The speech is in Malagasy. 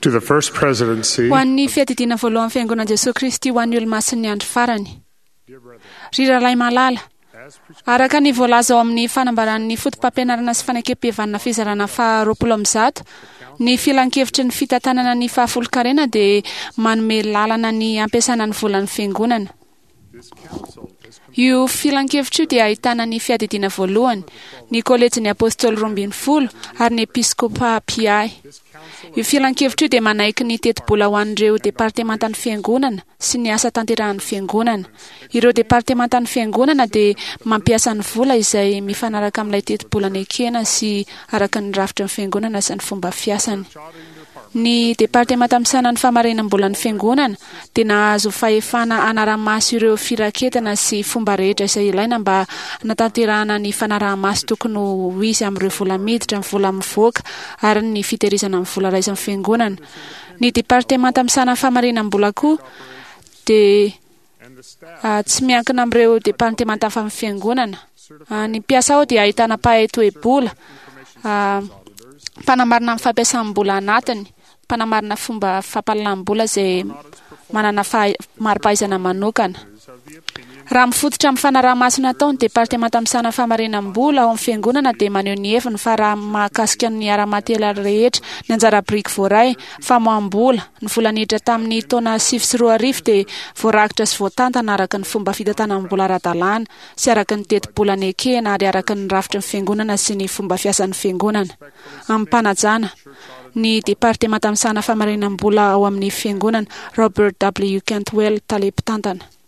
To the First Presidency, Ho an'ny Fiadidiana Voalohan'ny Fiangonan'i Jesoa Kristy ho an'ny Olomasin'ny Andro Farany. Ry rahalahy malala, araka ny voalaza ao amin'ny fanambaran'ny Fotopampianarana sy Fanekempihavanana fizarana faha 120, ny Filankevitry ny Fitantanana ny Fahafolonkarena dia manome lalana ny hampiasana ny volan'ny Fiangonana. Io filankevitra io dia ahitana ny Fiadidiana Voalohany, ny Kolejin'ny Apôstôly Roambinifolo ary ny Episkôpà Mpiahy. Io filankevitra io dia manaiky ny tetibola ho an'ireo departemantan'ny Fiangonana sy ny asa tanterahan'ny Fiangonana. Ireo departemantan'ny Fiangonana dia mampiasa ny vola izay mifanaraka amin'ilay tetibola nekena sy araka ny rafitry ny Fiangonana sy ny fomba fiasany. Ny Departemanta misahana ny famarinam-bolan'ny Fiangonana dia nahazo fahefana hanara-maso ireo firaketana sy fomba rehetra izay ilaina mba hanatanterahana ny fanaraha-maso tokony ho izy amin'ireo vola miditra, ny vola mivoaka ary ny fitehirizana ny vola raisin'ny Fiangonana. Ny Departemanta misahana ny famarinam-bola koa dia Tsy miankina amin'ireo departemanta hafa amin'ny fiangonana. Ny mpiasa ao dia ahitana mpahay toe-bola, mpanamarina ny fampiasam-bola anatiny, mpanamarina fomba fampahalalam-bola izay manana mari-pahaizana manokana. Raha mifototra amin'ny fanaraha-maso natao, ny departemanta misahana famarinam-bola ao amin'ny fiangonana dia maneho ny heviny fa raha mahakasika ny ara-materialy rehetra, ny anjara biriky voaray, famoaham-bola, ny vola niditra tamin'ny taona 2009 dia voarakitra sy voatantana araka ny fomba fitantanam-bola ara-dalàna sy araka ny tetibola nekena ary araka ny rafitry ny Fiangonana sy ny fomba fiasan'ny Fiangonana. Amim-panajana, ny Departemanta misahana famarinam-bola ao amin'ny Fiangonana, Robert W. Cantwell, Tale Mpitantana.